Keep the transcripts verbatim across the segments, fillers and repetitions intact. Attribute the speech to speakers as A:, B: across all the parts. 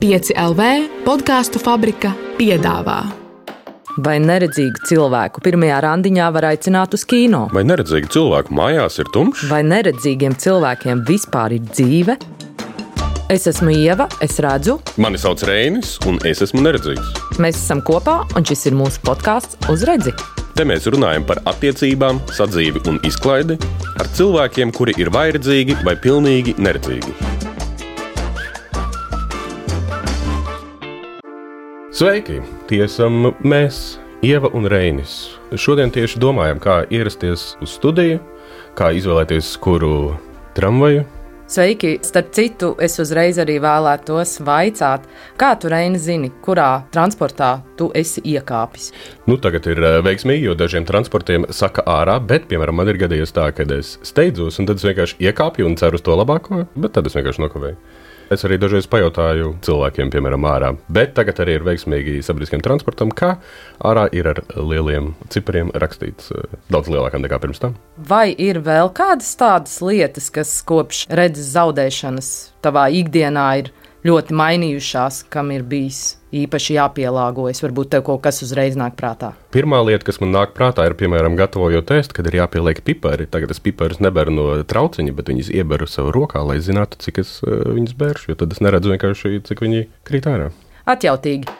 A: pieci L V podkāstu fabrika piedāvā.
B: Vai neredzīgu cilvēku pirmajā randiņā var aicināt uz kino?
C: Vai neredzīgu cilvēku mājās ir tumšs?
B: Vai neredzīgiem cilvēkiem vispār ir dzīve? Es esmu Ieva, es redzu.
C: Mani sauc Reinis, un es esmu neredzīgs.
B: Mēs esam kopā, un šis ir mūsu podkāsts Uz redzi.
C: Te mēs runājam par attiecībām, sadzīvi un izklaidi ar cilvēkiem, kuri ir vai redzīgi, vai pilnīgi neredzīgi. Sveiki! Tie esam mēs, Ieva un Reinis. Šodien tieši domājam, kā ierasties uz studiju, kā izvēlēties kuru tramvaju.
B: Sveiki! Starp citu, es uzreiz arī vēlētos vaicāt, kā tu, Reini, zini, kurā transportā tu esi iekāpis?
C: Nu, tagad ir veiksmīgi, jo dažiem transportiem saka ārā, bet, piemēram, man ir gadījies tā, kad es steidzos, un tad es vienkārši iekāpju un ceru uz to labāko, bet tad es vienkārši nokavēju. Es arī dažreiz pajautāju cilvēkiem, piemēram, ārā, bet tagad arī ir veiksmīgi sabiedriskiem transportam, kā ārā ir ar lieliem cipariem rakstīts daudz lielākām nekā pirms tam.
B: Vai ir vēl kādas tādas lietas, kas kopš redzes zaudēšanas tavā ikdienā ir ļoti mainījušās, kam ir bijis īpaši jāpielāgojas? Varbūt tev kaut kas uzreiz nāk prātā.
C: Pirmā lieta, kas man nāk prātā, ir, piemēram, gatavojot ēst, kad ir jāpieliek pipari. Tagad es piparus neberu no trauciņa, bet viņas ieberu savu rokā, lai zinātu, cik es uh, viņas bēršu, jo tad es neredzu vienkārši, cik viņi krīt ārā.
B: Atjautīgi.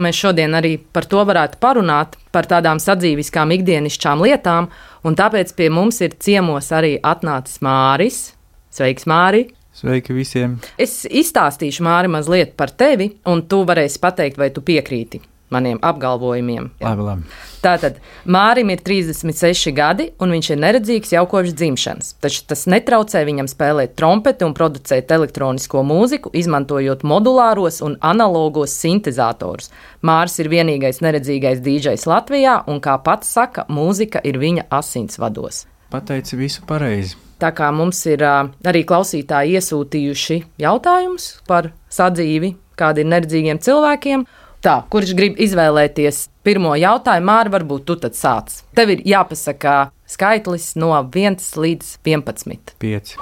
B: Mēs šodien arī par to varētu parunāt, par tādām sadzīviskām ikdienišķām lietām, un tāpēc pie mums ir ciemos arī atnācis Māris. Sveiks, Māri!
D: Sveiki visiem!
B: Es izstāstīšu, Māri, mazliet par tevi, un tu varēsi pateikt, vai tu piekrīti maniem apgalvojumiem.
D: Labi, labi.
B: Tātad, Mārim ir trīsdesmit seši gadi, un viņš ir neredzīgs jau kopš dzimšanas. Taču tas netraucē viņam spēlēt trompeti un producēt elektronisko mūziku, izmantojot modulāros un analogos sintezatorus. Māris ir vienīgais neredzīgais dīdžejs Latvijā, un, kā pats saka, mūzika ir viņa asinsvados.
D: Pateici visu pareizi.
B: Tā kā mums ir uh, arī klausītāji iesūtījuši jautājumus par sadzīvi, kādi ir neredzīgiem cilvēkiem. Tā, kurš grib izvēlēties pirmo jautājumu, Māri, varbūt tu tad sāc. Tev ir jāpasaka skaitlis no viens līdz vienpadsmit.
D: pieci.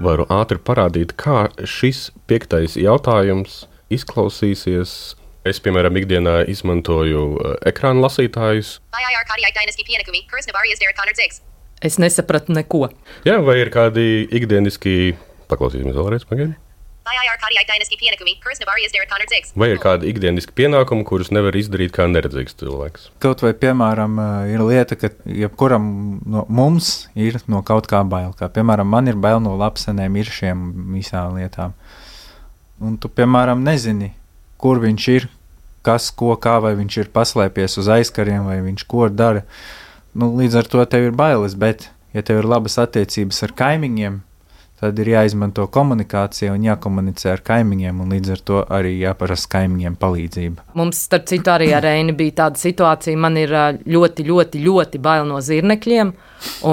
C: Varu ātri parādīt, kā šis piektais jautājums izklausīsies. Es, piemēram, ikdienā izmantoju uh, ekrāna lasītājus.
B: Es nesapratu neko.
C: Jā, vai ir kādi ikdieniski, paklausīsimies vēlreiz, pagaidi. Vai ir kādi ikdieniski pienākumi, kurus nevar izdarīt kā neredzīgs cilvēks?
D: Kaut vai, piemēram, ir lieta, ka jebkuram no mums ir no kaut kā bail. Kā, piemēram, man ir bail no lapsenēm, ir šiem visām lietām. Un tu, piemēram, nezini, kur viņš ir, kas, ko, kā, vai viņš ir paslēpies uz aizkariem, vai viņš ko dara. Nu, līdz ar to tev ir bailes, bet, ja tev ir labas attiecības ar kaimiņiem, tad ir jāizmanto komunikācija un jākomunicē ar kaimiņiem, un līdz ar to arī jāprasa kaimiņiem palīdzība.
B: Mums, starp citu, arī ar Reini bija tāda situācija, man ir ļoti, ļoti, ļoti bail no zirnekļiem,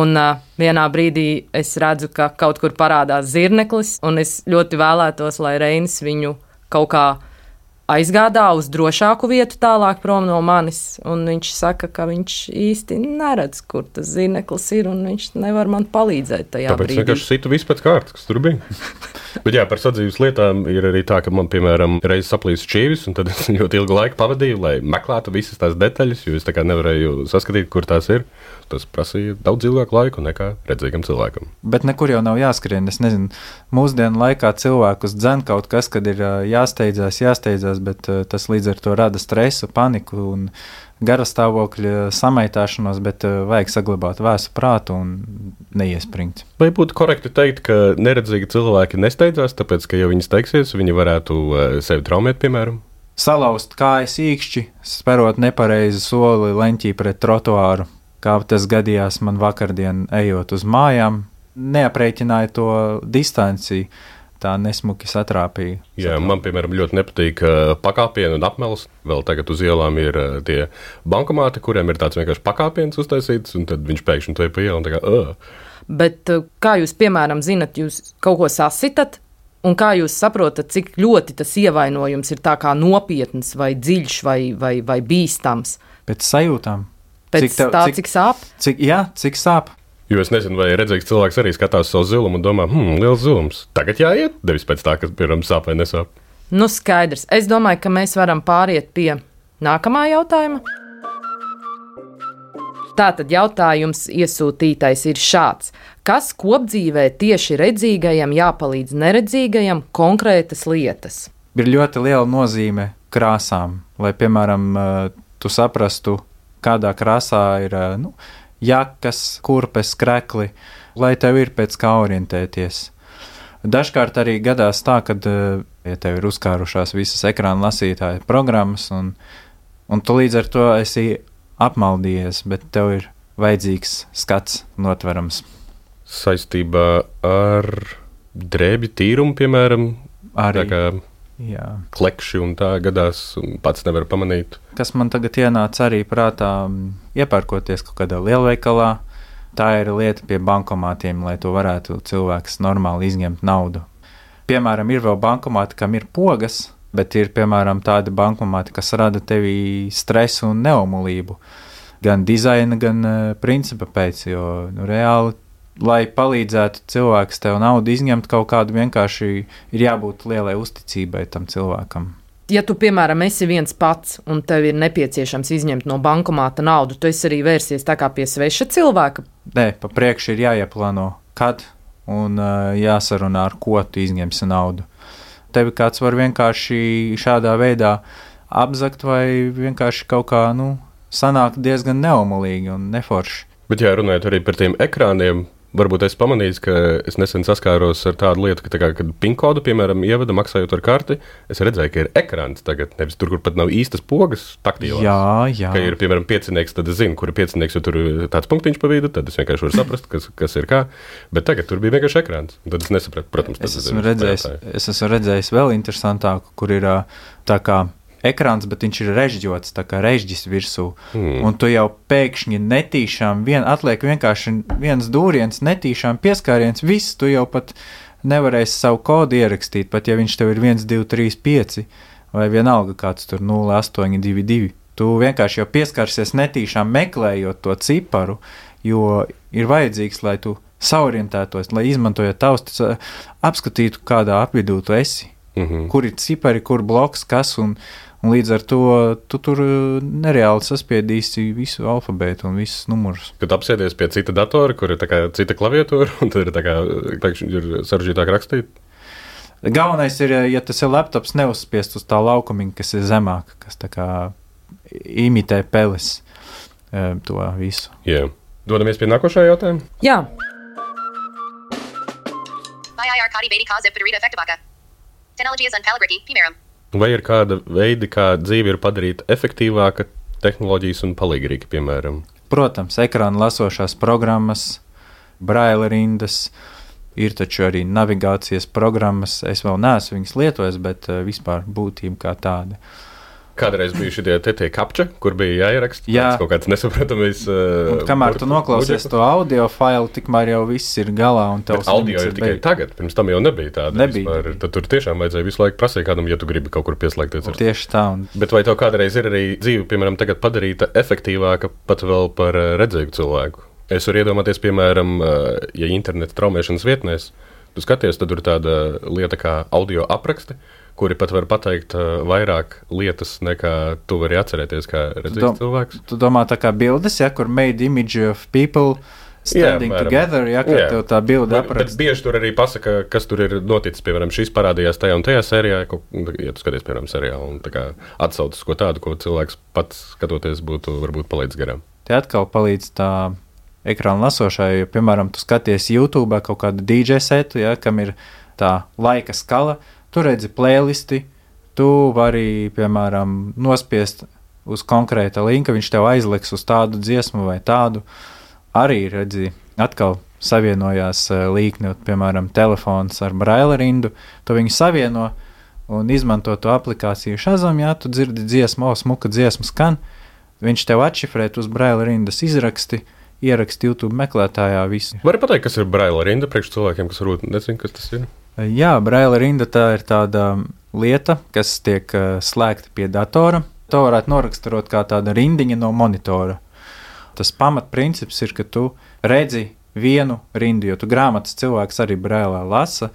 B: un uh, vienā brīdī es redzu, ka kaut kur parādās zirneklis, un es ļoti vēlētos, lai Reinis viņu kaut kā aizgādā uz drošāku vietu tālāk prom no manis, un viņš saka, ka viņš īsti neredz, kur tas zirneklis ir, un viņš nevar man palīdzēt tajā
C: Tāpēc
B: brīdī.
C: Tāpēc vienkārši situ visu pēc kārtas, kas tur bija. Bet jā, par sadzīves lietām ir arī tā, ka man, piemēram, reiz saplīst šķīvis, un tad es ļoti ilgu laiku pavadīju, lai meklētu visas tās detaļas, jo es tā kā nevarēju saskatīt, kur tās ir. Tas prasīja daudz ilgāku laiku nekā redzīgam cilvēkam.
D: Bet nekur jau nav jāskrien. Es nezinu, mūsdienu laikā cilvēkus dzen kaut kas, kad ir jāsteidzās, jāsteidzās, bet tas līdz ar to rada stresu, paniku un garastāvokļa samaitāšanos, bet vajag saglabāt vēsu prātu un neiespringt.
C: Vai būtu korekti teikt, ka neredzīgi cilvēki nesteidzās, tāpēc, ka ja viņi steigsies, viņi varētu sevi traumēt, piemēram?
D: Salauzt kājas īkšķi, sperot nepareizi soli leņķī pret trotuāru. Kā tas gadījās man vakardien ejot uz mājām, neaprēķināja to distanci, tā nesmuki satrāpīja.
C: Jā, man, piemēram, ļoti nepatīk pakāpieni un apmels. Vēl tagad uz ielām ir tie bankomāti, kuriem ir tāds vienkārši pakāpiens uztaisīts, un tad viņš pēkšņi to ir pa ielu un tā kā, ugh.
B: Bet kā jūs, piemēram, zinat, jūs kaut ko sasitat, un kā jūs saprotat, cik ļoti tas ievainojums ir tā kā nopietns vai dziļš vai, vai, vai bīstams?
D: Pēc sajūtām.
B: Pēc
D: Cik tev,
B: tā,
D: cik,
B: cik sāp?
D: Cik, jā, cik sāp.
C: Jo es nezinu, vai redzīgs cilvēks arī skatās savu zilumu un domā, hmm, liels zilums. Tagad jāiet, nevis pēc tā, kas, piemēram, sāp vai nesāp.
B: Nu, skaidrs. Es domāju, ka mēs varam pāriet pie nākamā jautājuma. Tātad jautājums iesūtītais ir šāds. Kas kopdzīvē tieši redzīgajam jāpalīdz neredzīgajam konkrētas lietas?
D: Ir ļoti liela nozīme krāsām, lai, piemēram, tu saprastu, kādā krāsā ir nu, jakas, kurpes, krekli, lai tev ir pēc kā orientēties. Dažkārt arī gadās tā, kad, ja tev ir uzkārušās visas ekrāna lasītāja programmas, un, un tu līdz ar to esi apmaldījies, bet tev ir vajadzīgs skats notverams.
C: Saistībā ar drēbju tīrumu, piemēram,
D: Arī,
C: tā kā
D: jā.
C: klekši un tā gadās, un pats nevar pamanīt.
D: Kas man tagad ienāca arī prātā, iepērkoties kaut kādā lielveikalā, tā ir lieta pie bankomātiem, lai to varētu cilvēks normāli izņemt naudu. Piemēram, ir vēl bankomāti, kam ir pogas, bet ir, piemēram, tādi bankomāti, kas rada tevī stresu un neomulību. Gan dizaina, gan uh, principa pēc, jo nu, reāli, lai palīdzētu cilvēks tev naudu izņemt kaut kādu, vienkārši ir jābūt lielai uzticībai tam cilvēkam.
B: Ja tu, piemēram, esi viens pats un tev ir nepieciešams izņemt no bankomāta naudu, tu esi arī vērsies tā kā pie sveša cilvēka?
D: Nē, pa priekšu ir jāieplāno, kad un uh, jāsarunā, ar ko tu izņemsi naudu. Tevi kāds var vienkārši šādā veidā apzakt vai vienkārši kaut kā, nu, sanākt diezgan neomulīgi un neforši.
C: Bet jā, runājot arī par tiem ekrāniem, varbūt es pamanīju, ka es nesen saskāros ar tādu lietu, ka tā kā, kad PIN kodu, piemēram, ievada maksājot ar karti, es redzēju, ka ir ekrāns tagad, nevis tur, kur pat nav īstas pogas taktīlās.
D: Jā, jā.
C: Ka ir, piemēram, piecinieks, tad es zinu, kur ir piecinieks, jo tur ir tāds punktiņš pa vidu, tad es vienkārši varu saprast, kas, kas ir kā, bet tagad tur bija vienkārši ekrāns, un tad es nesapratu, protams.
D: Es esmu, redzējis, es esmu redzējis vēl interesantāku, kur ir tā kā ekrāns, bet viņš ir režģots, tā kā režģis virsū, mm. un tu jau pēkšņi netīšām, vien, atliek vienkārši viens dūriens, netīšām pieskāriens, viss, tu jau pat nevarēsi savu kodu ierakstīt, pat ja viņš tev ir viens, divi, trīs, pieci, vai vienalga kāds tur nulle astoņi divi divi. Tu vienkārši jau pieskārsies netīšām meklējot to ciparu, jo ir vajadzīgs, lai tu saorientētos, lai izmantojot taustas, apskatītu, kādā apvidū tu esi, mm-hmm. kur ir cipari, kur bloks, kas, un Un līdz ar to tu tur nereāli saspiedīsi visu alfabētu un visus numurus.
C: Kad apsēdies pie cita datora, kur ir tā kā cita klaviatūra, un tad ir tā kā pēkšņi ir sarežģītāk rakstīt?
D: Galvenais ir, ja tas ir laptops, neuzspiest uz tā laukumiņa, kas ir zemāk, kas tā kā imitē peles to visu.
C: Jā. Dodamies pie nākošā jautājuma?
B: Jā.
C: Vai ir kāda veidi, kā dzīve ir padarīta efektīvāka, tehnoloģijas un palīgrīgi, piemēram?
D: Protams, ekrāna lasošās programmas, braila rindas, ir taču arī navigācijas programmas. Es vēl neesmu viņas lietojis, bet vispār būtība kā tāda.
C: Kādreiz bija šitie te tie kapča, kur bija jāieraksta?
D: Jā.
C: Kaut kāds nesapratamais... Uh,
D: kamēr tu noklausies to audio failu, tikmēr jau viss ir galā un tavs
C: audio ir tikai
D: beig.
C: Tagad, pirms tam jau nebija tāda.
D: Nebija.
C: Vispār, tad tur tiešām vajadzēja visu laiku prasīt kādam, ja tu gribi kaut kur pieslēgties. Ar...
D: Tieši tā. Un...
C: Bet vai tev kādreiz ir arī dzīve, piemēram, tagad padarīta efektīvāka pat vēl par redzīgu cilvēku? Es varu iedomāties, piemēram, ja interneta traumēšanas vietnēs, tu skaties, tad ir tāda lieta kā audio apraksti, kuri pat var pateikt uh, vairāk lietas, nekā tu vari atcerēties, kā redzīgs
D: dom-
C: cilvēks.
D: Tu domā tā kā bildes, ja, kur made image of people standing
C: Jā,
D: together, ja, kad
C: Jā.
D: tev tā bilde
C: Bet, bet
D: apraksta.
C: bieži tur arī pasaka, kas tur ir noticis, piemēram, šis parādījās tajā un tajā sērijā, ko, ja tu skaties, piemēram, seriālu, un tā kā atsaucas ko tādu, ko cilvēks pats skatoties būtu varbūt palaidis garām.
D: Te atkal palīdz tā ekrāna lasošai, jo, piemēram, tu skaties YouTube kaut kādu D J setu, ja, kam ir tā laika skala, tu redzi playlisti, tu vari, piemēram, nospiest uz konkrēta linka, viņš tev aizliks uz tādu dziesmu vai tādu. Arī, redzi, atkal savienojās līkni, piemēram, telefons ar braila rindu, tu viņu savieno un izmanto to aplikāciju Shazam, ja tu dzirdi dziesmu, o, smuka dziesmu skan, viņš tev atšifrēt uz braila rindas izraksti, ieraksti YouTube meklētājā visu.
C: Vari pateikt, kas ir braila rinda priekš cilvēkiem, kas varbūt nezin, kas tas ir?
D: Jā, braila rinda tā ir tāda lieta, kas tiek uh, slēgta pie datora. To varētu noraksturot kā tāda rindiņa no monitora. Tas pamatprincips ir, ka tu redzi vienu rindu, jo tu grāmatas cilvēks arī brēlā lasa,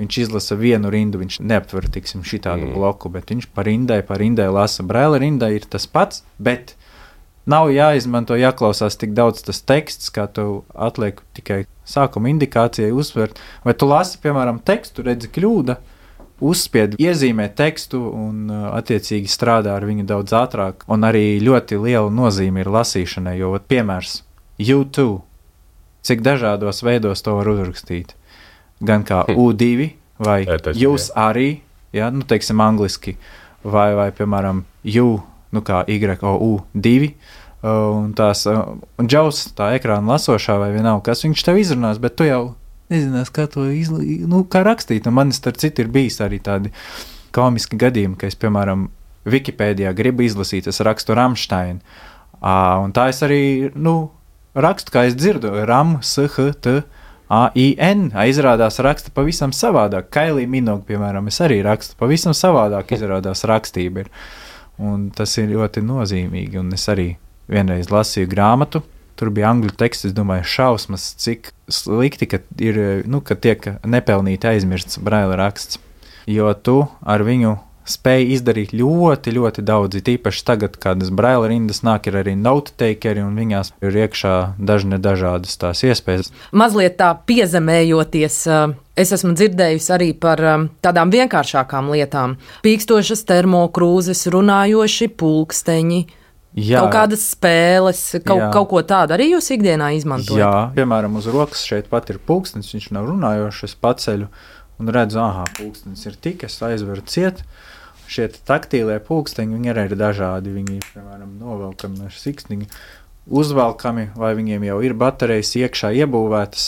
D: viņš izlasa vienu rindu, viņš neaptver, tiksim, šitādu mm. bloku, bet viņš pa rindai, pa rindai lasa. Brēla rindai ir tas pats, bet nav jāizmanto, jāklausās tik daudz tas teksts, kā tu atliek tikai sākuma indikācijai uzsvert. Vai tu lasi, piemēram, tekstu, redzi kļūda, uzspied, iezīmē tekstu un attiecīgi strādā ar viņu daudz ātrāk. Un arī ļoti liela nozīme ir lasīšanai, jo, piemērs, you too, cik dažādos veidos to var uzrakstīt. Gan kā hm. U divi, vai Etas, jūs jā. Arī, ja, nu, teiksim, angliski, vai, vai, piemēram, you, nu, kā Y O U divi, un tās, un Džaus, tā ekrāna lasošā vai vienalga, kas viņš tev izrunās, bet tu jau nezinās, kā to izla... nu, kā rakstīt, un man starp citu ir bijis arī tādi komiski gadījumi, ka es, piemēram, Wikipēdijā gribu izlasīt, es rakstu Rammstein, un tā es arī, nu, rakstu, kā es dzirdu, Ram, S, H, T, A, I, N, izrādās raksta pavisam savādāk. Kailī Minogue, piemēram, es arī rakstu pavisam savādāk, izrādās rakstība ir. Un tas ir ļoti nozīmīgi, un es arī vienreiz lasīju grāmatu, tur bija angļu teksts, es domāju, šausmas, cik slikti, ka ir, nu, ka tiek nepelnīti aizmirsts Braila raksts, jo tu ar viņu spēja izdarīt ļoti, ļoti daudz, tīpaši tagad, kādas Braila rindas nāk, ir arī note takeri, un viņās ir iekšā dažne dažādas tās iespējas.
B: Mazliet tā piezemējoties, es esmu dzirdējusi arī par tādām vienkāršākām lietām. Pīkstošas termokrūzes, runājoši pulksteņi, jā. Kaut kādas spēles, kaut, kaut ko tādu arī jūs ikdienā izmantojat?
D: Jā, piemēram, uz rokas šeit pat ir pulkstenis, viņš nav runājošs, es paceļu un redzu, aha, pulkstenis ir tik, es aizveru ciet. Šie taktīlie pulksteņi, viņi arī ir dažādi, viņi ir, piemēram, novelkami ar siksniņu, uzvelkami, vai viņiem jau ir baterijas iekšā iebūvētas.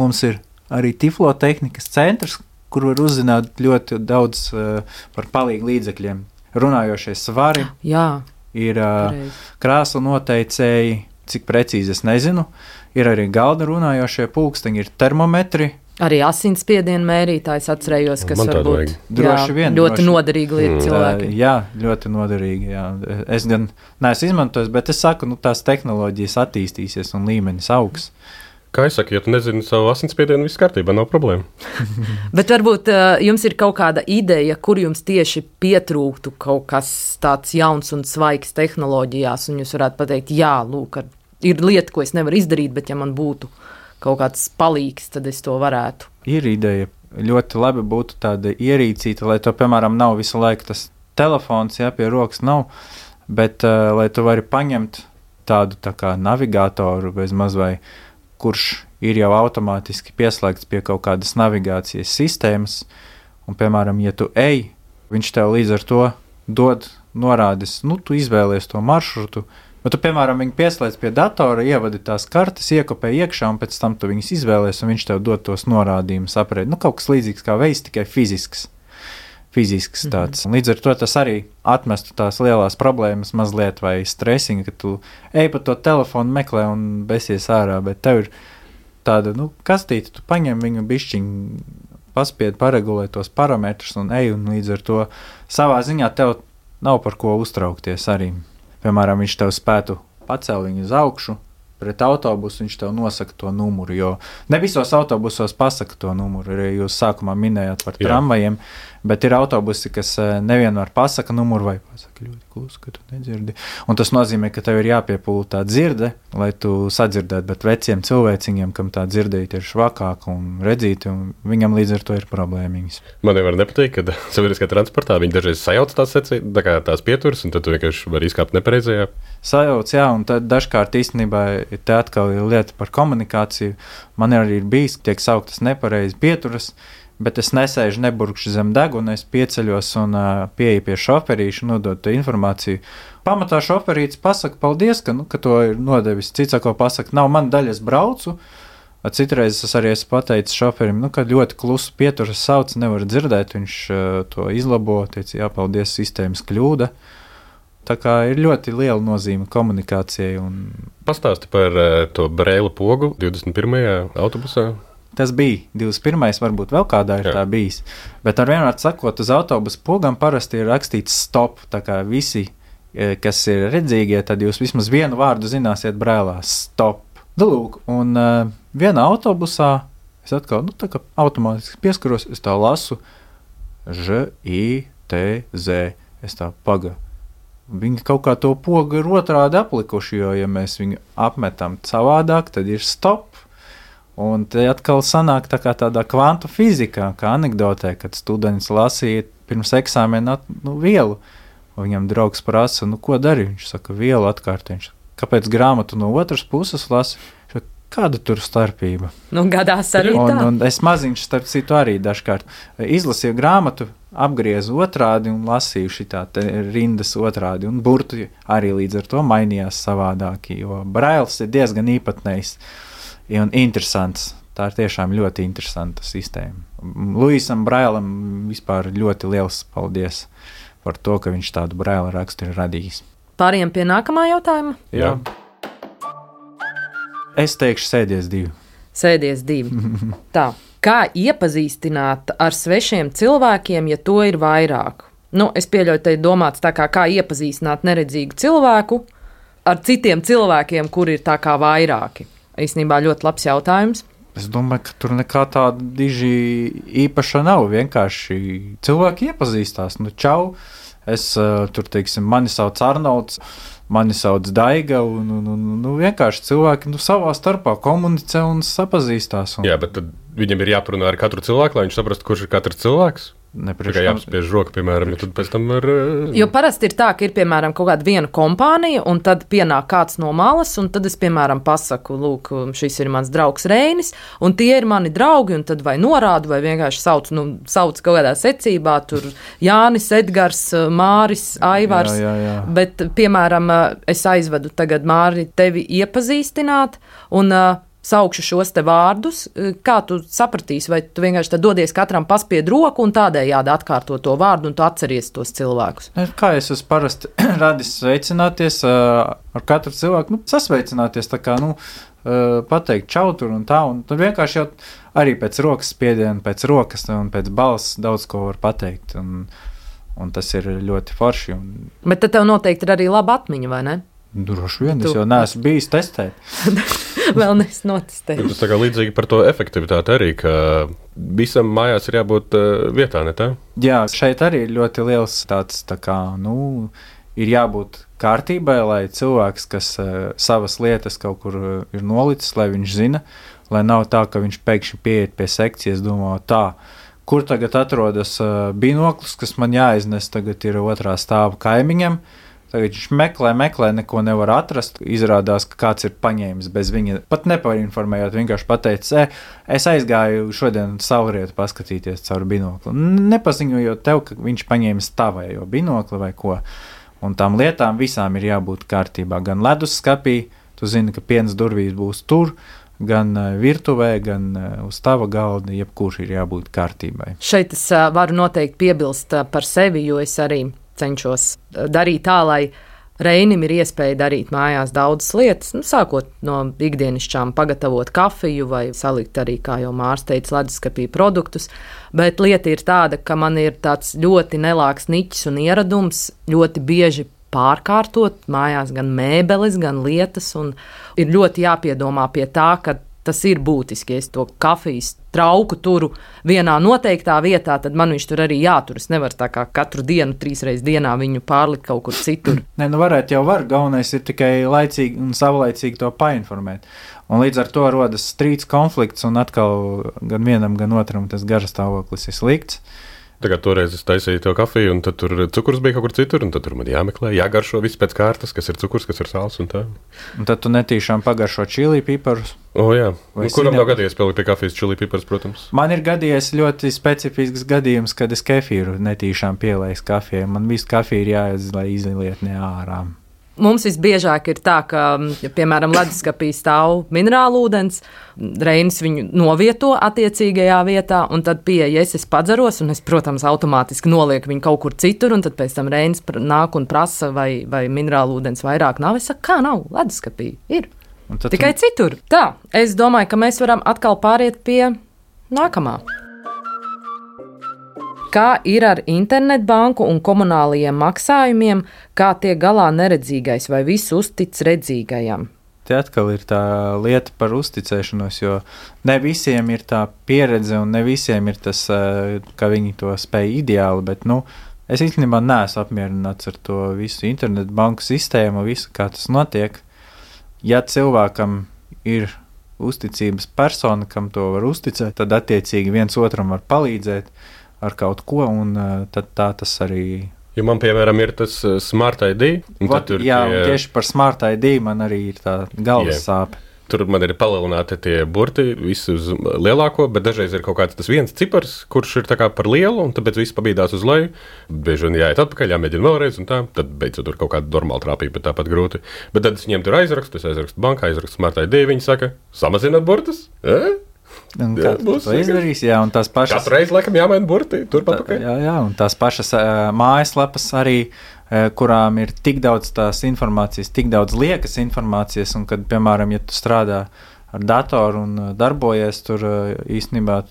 D: Mums ir arī Tiflo tehnikas centrs, kur var uzzināt ļoti daudz uh, par palīgu līdzekļiem. Runājošie svari,
B: jā,
D: ir uh, krāslu noteicēji, cik precīzi es nezinu, ir arī galda runājošie pulksteņi, ir termometri,
B: arī asinsspiedienu mērītājs atcerējos, kas
C: man
B: var būt
D: droši vien,
B: ļoti
D: droši.
B: noderīga lieta mm. cilvēki.
D: Jā, ļoti noderīga. Jā. Es gan neesmu izmantojis, bet es saku, nu, tās tehnoloģijas attīstīsies un līmenis augs.
C: Kā es saku, ja tu nezini savu asinsspiedienu, viss kārtībā, nav problēma.
B: Bet varbūt uh, jums ir kaut kāda ideja, kur jums tieši pietrūktu kaut kas tāds jauns un svaigs tehnoloģijās, un jūs varētu pateikt, jā, lūk, ir lieta, ko es nevaru izdarīt, bet ja man būtu kaut kāds palīgs, tad es to varētu.
D: Ir ideja. Ļoti labi būtu tāda ierīcīta, lai to, piemēram, nav visu laiku tas telefons, jā, pie rokas nav, bet uh, lai tu vari paņemt tādu tā kā navigātoru bez maz vai, kurš ir jau automātiski pieslēgts pie kaut kādas navigācijas sistēmas, un, piemēram, ja tu ej, viņš tev līdz ar to dod norādes, nu, tu izvēlies to maršrutu, bet tu, piemēram, viņu pieslēdz pie datora, ievadi tās kartes, iekopē iekšā, un pēc tam tu viņus izvēlies, un viņš tev dod tos norādījumus aprēt. Nu, kaut kas līdzīgs kā veids, tikai fizisks. Fizisks tāds. Mm-hmm. Līdz ar to tas arī atmestu tās lielās problēmas mazliet vai stresiņa, ka tu ej pa to telefonu meklē un besies ārā, bet tev ir tāda, nu, kastīte, tu paņem viņu bišķiņu, paspied, paregulē tos parametrus un ej, un līdz ar to savā ziņā tev nav par ko uztraukties arī. Piemēram, viņš tev spētu pacelt viņu uz augšu, pret autobusu viņš tev nosaka to numuru, jo ne visos autobusos pasaka to numuru, arī jūs sākumā minējāt par tramvajiem, bet ir autobusi, kas nevienmēr pasaka numuru vai pasaka ļoti klusu, ka tu nedzirdi. Un tas nozīmē, ka tev ir jāpiepūl tā dzirde, lai tu sadzirdētu, bet veciem cilvēciņiem, kam tā dzirdēt ir švakāka un redzīta, un viņam līdz ar to ir problēmiņas.
C: Man nevar nepateikt, ka sabiedriskā transportā viņi dažreiz sajauc tās secī, tā kā tās pieturas, un tad tu vienkārši vari izkāpt nepareizajā.
D: Sajauc, jā, un tad dažkārt īstenībā te atkal ir lieta par komunikāciju. Man arī ir bijis, tiek sauktas nepareizi pieturas, bet es nesēžu, neburkšu zem deguna, es pieceļos un uh, pieeju pie šoferīša, nodot informāciju. Pamatā šoferīts pasaka paldies, ka, nu, ka to ir nodevis. Cits sako pasaka, nav man daļa, es braucu. Citreiz es arī esmu pateicis šoferim, nu, ka ļoti klusu pieturas sauc, nevar dzirdēt, viņš uh, to izlabo, teica, jā, paldies, sistēmas kļūda. Tā kā ir ļoti liela nozīme komunikācijai. Un...
C: Pastāsti par uh, to Braila pogu divdesmit pirmajā autobusā.
D: Tas bija divdesmit pirmais, varbūt vēl kādā ir Jā. Tā bijis. Bet ar vienmēr sakot, uz autobusu pogam parasti ir rakstīts stop, tā kā visi, kas ir redzīgie, tad jūs vismaz vienu vārdu zināsiet Brailā – stop. Lūk, un uh, vienā autobusā es atkal, nu, tā kā automātiski pieskaros, es tā lasu Ž, I, T, Z. Es tā paga. Viņi kaut kā to pogu ir otrādi aplikuši, jo, ja mēs viņu apmetam savādāk, tad ir stop. Un te atkal sanāk tā kā tādā kvantu fizikā, kā anekdotē, kad students lasīja pirms eksāmena nu, vielu. Un viņam draugs prasa, nu, ko dari? Viņš saka, vielu atkārtojuši. Kāpēc grāmatu no otras puses lasi? Kāda tur starpība?
B: Nu, gadās arī
D: un,
B: tā.
D: Un es maziņš starp citu arī dažkārt izlasīju grāmatu, apgriezu otrādi un lasīju šitā te rindas otrādi. Un burti arī līdz ar to mainījās savādāki, jo brails ir diezgan īpatnējs un interesants. Tā ir tiešām ļoti interesanta sistēma. Luisam Brailam vispār ļoti liels paldies par to, ka viņš tādu braila rakstu ir radījis.
B: Pāriem pie nākamā jautājuma?
D: Jā. Es teikšu sēdies divi.
B: Sēdies divi. Tā, kā iepazīstināt ar svešiem cilvēkiem, ja to ir vairāk? Nu, es pieļauju, te ir domāts tā kā, kā iepazīstināt neredzīgu cilvēku ar citiem cilvēkiem, kuri ir tā kā vairāki. Īstenībā ļoti labs jautājums.
D: Es domāju, ka tur nekā tāda diži īpaša nav. Vienkārši cilvēki iepazīstās. Nu, čau, es tur, teiksim, mani sauc Arnolds, mani sauc Daiga, un, un, un, un vienkārši cilvēki nu, savā starpā komunicē un sapazīstās. Un...
C: Jā, bet tad viņam ir jāparunā ar katru cilvēku, lai viņš saprastu, kurš ir katrs cilvēks.
D: Nepriekš,
C: kā jāapspiež roka, piemēram, jo tad pēc tam var...
B: Jo parasti ir tā, ka ir, piemēram, kaut kāda viena kompānija, un tad pienāk kāds no malas, un tad es, piemēram, pasaku, lūk, šis ir mans draugs Reinis, un tie ir mani draugi, un tad vai norādu, vai vienkārši sauc, nu, sauc kaut kādā secībā, tur Jānis, Edgars, Māris, Aivars,
D: jā, jā, jā.
B: Bet, piemēram, es aizvedu tagad Māri tevi iepazīstināt, un... saukšu šos te vārdus, kā tu sapratīsi, vai tu vienkārši tad dodies katram paspied roku un tādējādi atkārto to vārdu un tu atceries tos cilvēkus?
D: Kā es esmu parasti radis sveicināties ar katru cilvēku, nu, sasveicināties, tā kā, nu, pateikt čau tur un tā, un tad vienkārši jau arī pēc rokas spiediena, pēc rokas un pēc balss daudz ko var pateikt, un, un tas ir ļoti forši. Un...
B: Bet tad tev noteikti ir arī laba atmiņa, vai ne?
D: Droši vien, es jau neesmu bijis testēt.
B: Vēl neesmu notestējis.
C: Tas tā kā līdzīgi par to efektivitāti arī, ka visam mājās ir jābūt vietā, ne tā?
D: Jā, šeit arī ir ļoti liels tāds, tā kā, nu, ir jābūt kārtībai, lai cilvēks, kas uh, savas lietas kaut kur uh, ir nolicis, lai viņš zina, lai nav tā, ka viņš pēkšņi pieiet pie sekcijas, domā tā, kur tagad atrodas uh, binoklis, kas man jāiznes, tagad ir otrā stāva kaimiņam. Tagad viņš meklē, meklē, neko nevar atrast. Izrādās, ka kāds ir paņēmis bez viņa. Pat nepainformējot, vienkārši pateicis, e, es aizgāju šodien saulrietu paskatīties caur binokli. Nepaziņojot tev, ka viņš paņēmis tavējo binokli vai ko. Un tām lietām visām ir jābūt kārtībā. Gan ledusskapī, tu zini, ka piens durvīs būs tur, gan virtuvē, gan uz tava galda, jebkurš ir jābūt kārtībai.
B: Šeit es uh, varu noteikti piebilst uh, par sevi, jo es arī cenšos darīt tā, lai Reinim ir iespēja darīt mājās daudzas lietas, nu, sākot no ikdienišķām pagatavot kafiju vai salikt arī, kā jau Mārs teica, leduskapī produktus, bet lieta ir tāda, ka man ir tāds ļoti nelāks niķis un ieradums ļoti bieži pārkārtot mājās gan mēbeles, gan lietas, un ir ļoti jāpiedomā pie tā, ka tas ir būtiski, ja es to kafijas trauku turu vienā noteiktā vietā, tad man viņš tur arī jātur. Es nevaru tā kā katru dienu, trīs reizes dienā viņu pārlikt kaut kur citur.
D: Nē, nu varētu jau var, galvenais ir tikai laicīgi un savlaicīgi to painformēt. Un līdz ar to rodas strīds, konflikts, un atkal gan vienam, gan otram tas garš stāvoklis ir slikts.
C: Tagad toreiz es taisīju to kafiju, un tad tur cukurs bija kaut kur citur, un tad tur man jāmeklē, jāgaršo viss pēc kārtas, kas ir cukurs, kas ir sāls un tā. Un
D: tad tu netīšām pagaršo čili piparus.
C: O jā, nu, kuram nav gadījies pielikt pie kafijas čili piparus, protams?
D: Man ir gadījies ļoti specifisks gadījums, kad es kefīru netīšām pielaisu kafijai. Man visu kafiju ir jāiedz, lai izliet ne ārā.
B: Mums visbiežāk ir tā, ka, ja, piemēram, leduskapī stāv minerālu ūdens, Reinis viņu novieto attiecīgajā vietā, un tad pieeja, es, es padzeros, un es, protams, automātiski nolieku viņu kaut kur citur, un tad pēc tam Reinis nāk un prasa, vai, vai minerālu ūdens vairāk nav. Es saku, kā nav, leduskapī ir. Tikai tu... citur. Tā, es domāju, ka mēs varam atkal pāriet pie nākamā. Kā ir ar internetbanku un komunālajiem maksājumiem, kā tiek galā neredzīgais vai visu uztic redzīgajam?
D: Te atkal ir tā lieta par uzticēšanos, jo ne visiem ir tā pieredze un ne visiem ir tas, ka viņi to spēj ideāli, bet, nu, es īstenībā neesmu apmierināts ar to visu internetu banku sistēmu, visu, kā tas notiek. Ja cilvēkam ir uzticības persona, kam to var uzticēt, tad attiecīgi viens otram var palīdzēt ar kaut ko, un tad tā tas arī.
C: Ja man, piemēram, ir tas Smart I D, un
D: Vat,
C: tad tur
D: jā,
C: tie,
D: un tieši par Smart I D man arī ir tā galvas
C: Jā.
D: sāpe.
C: tur man ir palielināti tie burti, visi uz lielāko, bet dažreiz ir kaut kāds tas viens cipars, kurš ir tā kā par lielu, un tāpēc viss pabīdās uz leju. Bieži vien jāiet atpakaļ, jāmēģina vēlreiz, un tā, tad beidzot tur kaut kāda normāla trāpība, bet tāpat grūti. Bet tad es viņiem tur aizrakstu, es aizrakstu bankā, aizrakstu Smart I D, viņi saka, samazināt burtus? Eh?
D: Un
C: Jā,
D: kā
C: būs
D: to izdarīs, jā, un tās pašas.
C: Katru reizi, laikam, jāmaina burti, tur
D: Tā,
C: papakaļ.
D: jā, jā, un tās pašas uh, mājaslapas arī, uh, kurām ir tik daudz tās informācijas, tik daudz liekas informācijas, un kad, piemēram, ja tu strādā ar datoru un uh, darbojies, tur uh, īstenībā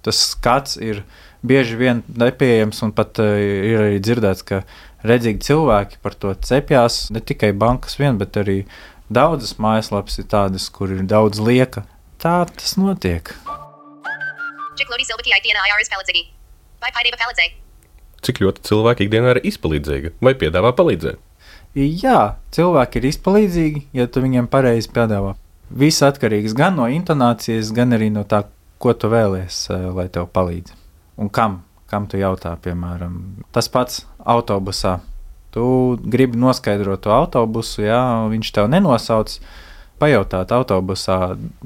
D: tas skats ir bieži vien nepieejams, un pat uh, ir arī dzirdēts, ka redzīgi cilvēki par to cepjās, ne tikai bankas vien, bet arī daudzas mājaslapas ir tādas, kur ir daudz lieka. Tā tas notiek.
C: Cik ļoti cilvēki ikdienā ir izpalīdzīgi vai piedāvā palīdzēt?
D: Jā, cilvēki ir izpalīdzīgi, ja tu viņiem pareizi piedāvā. Viss atkarīgs gan no intonācijas, gan arī no tā, ko tu vēlies, lai tev palīdz. Un kam? Kam tu jautā, piemēram, tas pats autobusā. Tu gribi noskaidrot to autobusu, jā, viņš tev nenosauc, pajautāt autobusā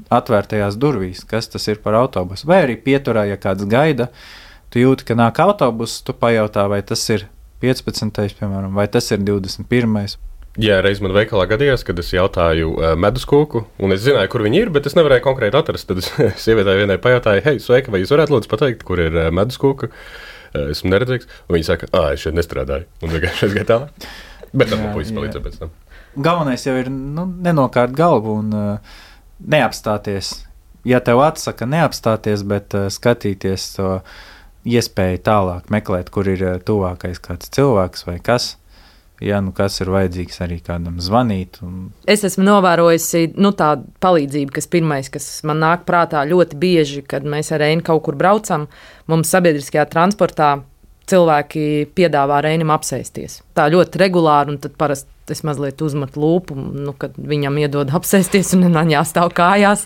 D: atvērtajās durvīs, kas tas ir par autobusu. Vai arī pieturā, ja kāds gaida, tu jūti, ka nāk autobus, tu pajautā, vai tas ir piecpadsmitais, piemēram, vai tas ir divdesmit pirmais.
C: Jā, reiz man veikalā gadījās, kad es jautāju uh, meduskūku, un es zināju, kur viņi ir, bet es nevarēju konkrēti atrast. Tad es sievietē vienai pajautāju, hei, sveika, vai jūs varētu lūdzu pateikt, kur ir uh, meduskūka? Uh, esmu neredzīgs. Un viņi saka, ā, es šeit nestrādāju. Un vienkārši es gāju tālāk. Bet tam man puisis palīdzēja pēc tam.
D: Galvenais jau ir nu, nenokārt galvu un uh, neapstāties. Ja tev atsaka neapstāties, bet uh, skatīties to iespēju tālāk meklēt, kur ir uh, tuvākais kāds cilvēks vai kas. Ja nu kas ir vajadzīgs arī kādam zvanīt. Un...
B: Es esmu novērojusi nu, tādu palīdzību, kas pirmais, kas man nāk prātā ļoti bieži, kad mēs ar Reini kaut kur braucam, mums sabiedriskajā transportā cilvēki piedāvā Reinim apsēsties. Tā ļoti regulāri, un tad parasti es mazliet uzmetu lūpu, nu, kad viņam iedod apsēsties un man jāstāv kājās.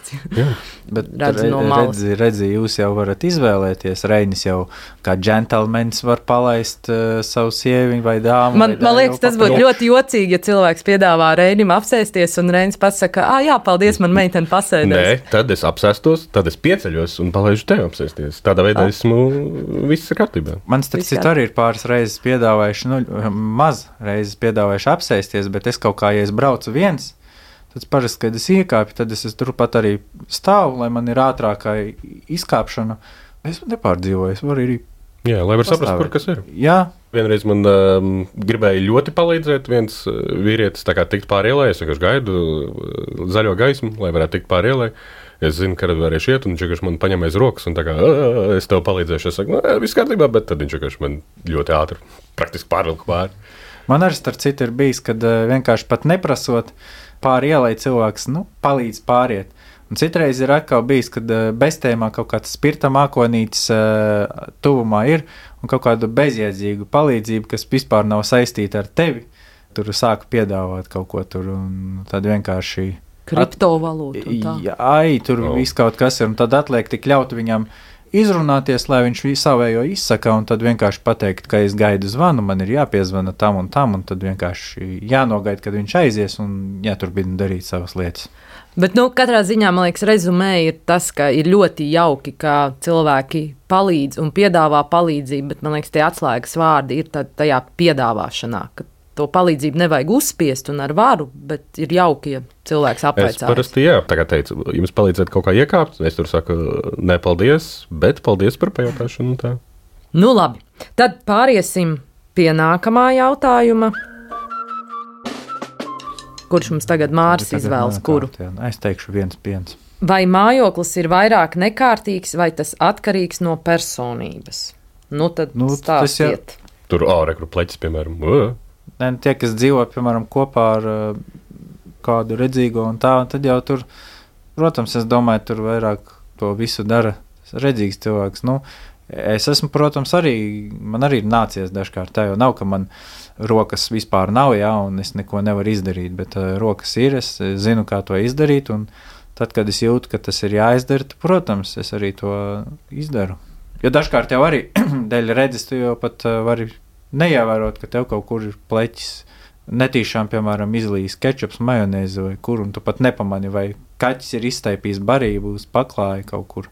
D: Bet
B: redzi no malas.
D: redzi, redzi, jūs jau varat izvēlēties. Reinis jau kā džentelmenis var palaist uh, savu sieviņu vai dāmu.
B: Man,
D: vai
B: man liekas, tas būtu ļoti jocīgi, ja cilvēks piedāvā Reinim apsēsties, un Reinis pasaka, ā, jā, paldies, man meitene pasēdēs.
C: Nē, tad es apsēstos, tad es pieceļos un palaižu tevi apsēsties. Tādā veidā esmu viss ir kārtībā.
D: Man starp citu arī ir pāris reizes piedāvājuši, nu, maz reizes piedāvājuši apsēsties, bet es kaut kā, ja es braucu viens, tad parasti, kad es iekāpju, tad es, es turpat arī stāvu, lai man ir ātrākā izkāpšana. Es nepārdzīvoju, es varu arī
C: Jā, lai var saprast,
D: pastāvēt.
C: kur kas ir.
D: Jā,
C: Vienreiz man um, gribēja ļoti palīdzēt viens uh, vīrietis, tā kā tikt pāri ielai. Es vienkārši gaidu uh, zaļo gaismu, lai varētu tikt pāri ielai. Es zinu, ka varēšu iet, un viņš vienkārši man paņem aiz rokas, un tā kā es tev palīdzēšu. Es saku, nē, viss kārtībā, bet tad viņš vienkārši man ļoti ātri, praktiski pārvilku pāri.
D: man arī starp citu ir bijis, kad uh, vienkārši pat neprasot pāri ielai cilvēks, nu, palīdz pāriet. Un citreiz ir atkal bijis, kad uh, beztēmā kaut kāds spirta mākonītis uh, tuvumā ir un kaut kādu bezjēdzīgu palīdzību, kas vispār nav saistīta ar tevi. Tur sāka piedāvāt kaut ko tur un tad vienkārši...
B: Kriptovalūtu un tā.
D: Jā, ai, tur
C: Oh.
D: viss kaut kas ir un tad atliek tik ļaut viņam izrunāties, lai viņš savējo izsaka un tad vienkārši pateikt, ka es gaidu zvanu, man ir jāpiezvana tam un tam un tad vienkārši jānogaida, kad viņš aizies un jāturpina darīt savas lietas.
B: Bet, nu, katrā ziņā, man liekas, rezumē ir tas, ka ir ļoti jauki, ka cilvēki palīdz un piedāvā palīdzību, bet, man liekas, tie atslēgas vārdi ir tajā piedāvāšanā, ka to palīdzību nevajag uzspiest un ar varu, bet ir jauki, ja cilvēks
C: Es
B: apveicās.
C: parasti, jā, tā kā teicu, jums palīdzēt kaut kā iekāpt, es tur saku, ne paldies, bet paldies par pajautāšanu un tā.
B: Nu, labi. Tad pāriesim pie nākamā jautājuma. Kurš mums tagad Māris
D: Tagad
B: izvēlas,
D: nāk
B: kuru?
D: kārtā, jā. Es teikšu viens piens.
B: Vai mājoklis ir vairāk nekārtīgs, vai tas atkarīgs no personības? Nu, tad
D: Nu, tas jau-
B: stāstiet.
C: Tur ārekru pleķis, piemēram. Ā.
D: Ne, tie, kas dzīvo, piemēram, kopā ar uh, kādu redzīgo un tā, un tad jau tur, protams, es domāju, tur vairāk to visu dara redzīgs cilvēks. Nu, es esmu, protams, arī, man arī ir nācies dažkārt, tā jau nav, ka man rokas vispār nav, jā, un es neko nevaru izdarīt, bet uh, rokas ir, es zinu, kā to izdarīt, un tad, kad es jūtu, ka tas ir jāizdara, tad, protams, es arī to izdaru. Jo dažkārt jau arī dēļ redzes, tu jau pat uh, vari neievērot, ka tev kaut kur ir pleķis. Netīšām, piemēram, izlīs kečups, majonēzi vai kur, un tu pat nepamani, vai kaķis ir iztaipījis barību uz paklāja kaut kur.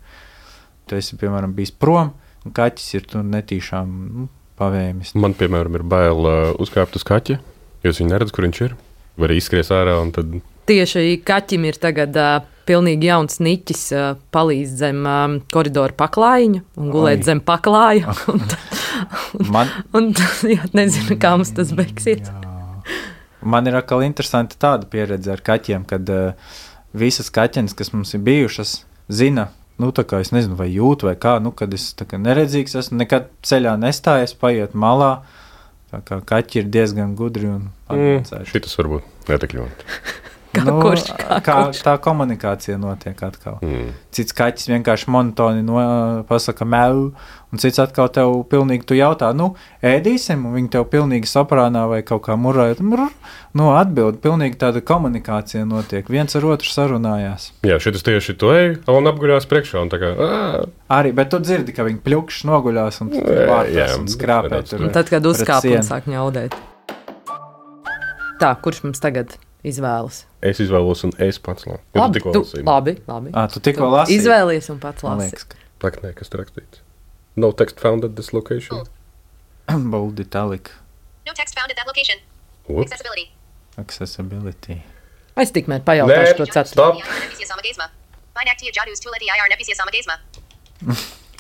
D: Tu esi, piemēram, bijis prom, un kaķis ir tur netīšām nu, pavēmis.
C: Man, piemēram, ir bail uh, uzkāpt uz kaķi, jo es viņu neredzu, kur viņš ir. Var izskries ārā un tad...
B: Tieši kaķim ir tagad uh, pilnīgi jauns niķis, uh, palīdz zem um, koridoru paklājiņu un gulēt Ai. Zem paklāja. Un, un, Man... un, jā, nezinu, kā mums tas beigsies.
D: Man ir atkal interesanti tāda pieredze ar kaķiem, kad uh, visas kaķenes, kas mums ir bijušas, zina, nu tā kā es nezinu, vai jūt vai kā, nu kad es tā kā neredzīgs esmu, nekad ceļā nestājies, paiet malā, tā kā kaķi ir diezgan gudri un
C: advancējuši. Mm, šitas varbūt netik ļoti.
B: Kā
D: nu,
B: kurš, kā
D: kā
B: kurš.
D: Tā komunikācija notiek atkal.
C: Mm.
D: Cits kaķis vienkārši monotoni no, pasaka mēlu, un cits atkal tev pilnīgi tu jautā, nu, ēdīsim, un viņi tev pilnīgi soprānā vai kaut kā murājot, mur, nu, atbild, pilnīgi tāda komunikācija notiek, viens ar otru sarunājās.
C: Jā, šitas tieši to ej, un apguļās priekšā, un tā kā, ā.
D: Arī, bet tu dzirdi, ka viņi pļukšs noguļās un vārtās un skrāpē tur.
B: Un tad, kad uzkāp un sāk ņaudēt. Tā, kurš mums tagad izvēlas?
C: Es izvēlos un es pats labi.
B: Labi, tu, labi, labi.
D: À, tu tikko lasīji?
B: Izvēlies un pats lasi.
C: Tak, nē, kas tur rakstīts? No text found at this location.
D: Bold italic.
E: No text found at that location.
C: Ups.
E: Accessibility.
D: Accessibility.
B: Es tikmēr pajautāšu to ceturto.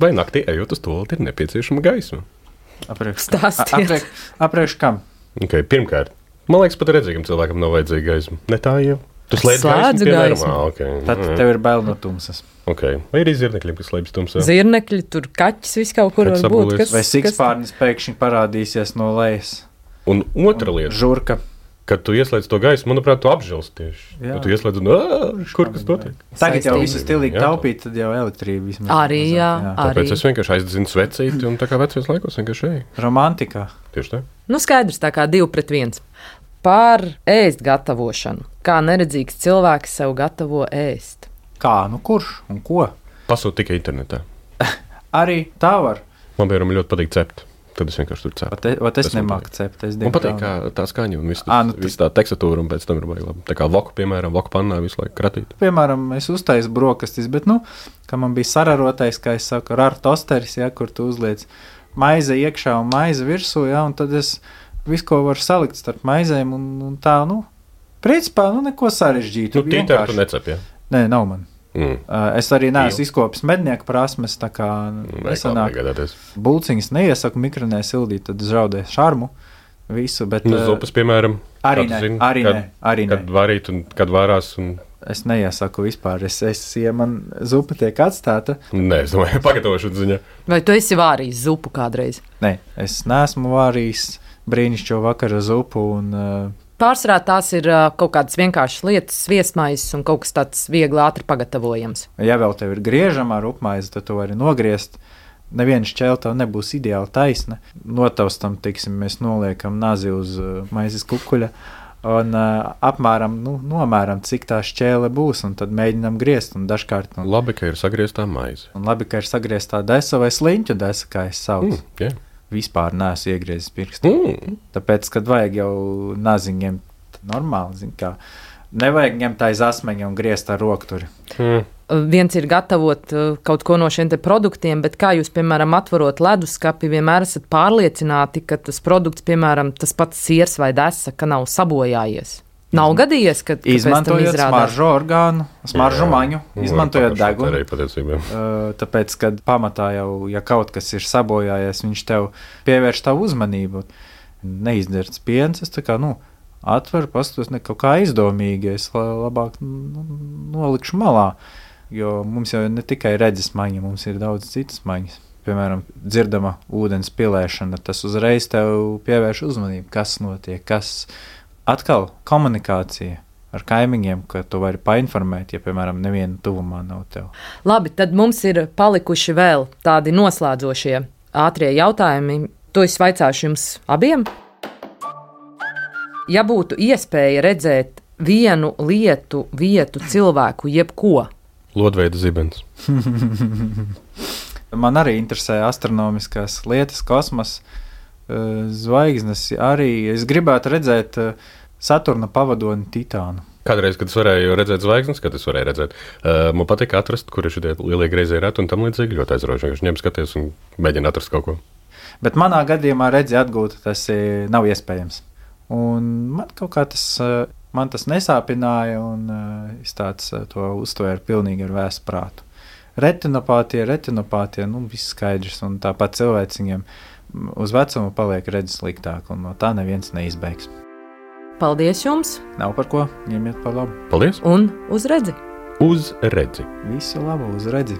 C: Vai naktī ejot uz tualeti ir nepieciešama gaisma?
D: Apriekš,
B: Stāstiet.
D: apriekš, apriekš kam?
C: Okay, pirmkārt, man liekas, pat redzīgam cilvēkam nav vajadzīga gaisma. Ne tā jau. Tu slēdz
B: Slēdzu
C: gaismu,
B: gaismu.
C: Ah, okay.
D: Tad tev ir bail no tumsas.
C: Okay. Vai ir zirnekļiem, kas slēpjas tumsā?
B: Zirnekļi, tur kaķis, viss kaut kur
C: Kaķis
B: var būt.
C: apgulies.
B: Kas,
D: Vai sikspārnis pēkšņi parādīsies no lejas?
C: Un otra lieta,
D: Žurka.
C: kad tu ieslēdz to gaismu, manuprāt, tu apžilst tieši.
D: Jā.
C: Tu ieslēdz un, ā, kur kas notiek?
D: Tagad jau
B: Saistība.
D: visu stilīgi
C: Jā.
D: taupīt, tad jau elektrība vismaz.
B: Arī, jā.
C: Tāpēc
B: Arī.
C: es vienkārši aizdedzinu svecīti un tā kā vecajos laikos vienkārši ej.
D: Romantikā.
C: Tieši tā.
B: Nu, skaidrs, tā kā divi pret viens. Par ēst gatavošanu. Kā neredzīgs cilvēks sev gatavo ēst?
D: Kā, nu kurš un ko?
C: Pasūt tikai internetā.
D: Arī tā var.
C: Man, piemēram, ļoti patīk cept. Tad es vienkārši tur cepu.
D: Vat es, vat es
C: Tas man
D: nemāku
C: patīk.
D: cept. Es
C: Man patīk,
D: diemžēl-
C: kā tā skaņa un viss
D: Ā, nu
C: vis tā tekstatūra, un pēc tam ir baigi labi. Tā kā voku, piemēram, voku pannā visu laiku kratīt.
D: Piemēram, es uztaisu brokastis, bet, nu, kā man bija sararotais, kā es saku, ar tosteris, ja, kur tu uzliec maize iekšā un maize virsū, ja, un tad es visu, ko varu salikt starp maizēm, un, un tā, nu, principā, nu, neko sarežģītu.
C: Nu, tītēr tu necep, jā?
D: Nē, nav man.
C: Mm.
D: Uh, es arī neesmu izkopis mednieku prasmes, tā kā nesanāk.
C: Nesanāk.
D: Bulciņas neiesaku mikronē sildīt, tad zaudē šarmu visu, bet...
C: Nu,
D: uh,
C: zupas, piemēram.
D: Arī
C: kā tu
D: nē,
C: zini,
D: arī
C: kad,
D: nē, arī
C: Kad
D: nē.
C: varīt un kad varās un...
D: Es neiesaku vispār, es, es, ja man zupa tiek atstāta,
C: Nē, es domāju, pagatavošanas ziņā.
B: Vai tu esi vārījis zupu kādreiz?
D: nē, es neesmu vārījis brīnišķo vakara zupu un... Uh,
B: Pārsvarā tās ir uh, kaut kādas vienkāršas lietas, sviestmaizes un kaut kas tāds viegli ātri pagatavojams.
D: ja vēl tev ir griežama ar upmaizi, tad tu vari nogriezt. Neviena šķēle tev nebūs ideāli taisna. Notaustam, tiksim, mēs noliekam nazi uz uh, maizes kukuļa un uh, apmēram, nu, nomēram, cik tā šķēle būs, un tad mēģinam griezt. Un dažkārt, un,
C: Labi, ka ir sagrieztā maize.
D: un labi, ka ir sagrieztā desa vai sliņķu desa, kā es saucu.
C: Mm, yeah.
D: Vispār neesmu iegriezis pirkstu.
C: mm.
D: Tāpēc, kad vajag jau naziņiem, tad normāli, zin kā, nevajag ņemt aiz asmeņa un griezt ar rokturi.
C: Mm.
B: Uh, Viens ir gatavot uh, kaut ko no šiem te produktiem, bet kā jūs, piemēram, atverot leduskapi, vienmēr esat pārliecināti, ka tas produkts, piemēram, tas pats siers vai desa, ka nav sabojājies. Nav gadījies, ka ka pēc tam
D: Izmantojot
B: izrādās.
D: smaržu orgānu, smaržu
C: Jā.
D: maņu,
C: Nu,
D: izmantojot
C: pašā
D: degunu.
C: Arī patiesībā.
D: Uh, Tāpēc, kad pamatā jau, ja kaut kas ir sabojājies, viņš tev pievērš tavu uzmanību. Neizdzerts piens, es tā kā, nu, atveru, paskatos, ne kaut kā aizdomīgi, es la- labāk nu, nolikšu malā, jo mums jau ne tikai redzes maņa, mums ir daudz citas maņas. Piemēram, dzirdama ūdens pilēšana, tas uzreiz tev pievērš uzmanību, kas notiek, kas atkal komunikācija ar kaimiņiem, ka tu vari painformēt, ja, piemēram, neviena tuvumā nav tev.
B: Labi, tad mums ir palikuši vēl tādi noslēdzošie ātrie jautājumi. To es vaicāšu jums abiem. Ja būtu iespēja redzēt vienu lietu, vietu, cilvēku, jebko.
C: Lodveida zibens.
D: Man arī interesē astronomiskās lietas, kosmos, zvaigznes arī. Es gribētu redzēt Saturna pavadoni Titānu.
C: Kādreiz, kad es varēju redzēt zvaigznes, kad es varēju redzēt, uh, man patīk atrast, kur ir šie lielie griezie reti un tam līdzīgi ļoti aizraujoši. Viņš ņem skaties un mēģina atrast kaut ko.
D: Bet manā gadījumā redzi atgūt, tas nav iespējams. Un man kaut kā tas, man tas nesāpināja un es tāds to uztvēru pilnīgi ar vēsu prātu. Retinopātie, retinopātie, nu viss skaidrs un tāpat cilvēciņiem uz vecumu paliek redzes sliktāk un no tā neviens neizbēgs.
B: Paldies jums!
D: Nav par ko, ņemiet par labu.
C: Paldies!
B: Un uz redzi!
C: Uz redzi!
D: Visu labu, uz redzi!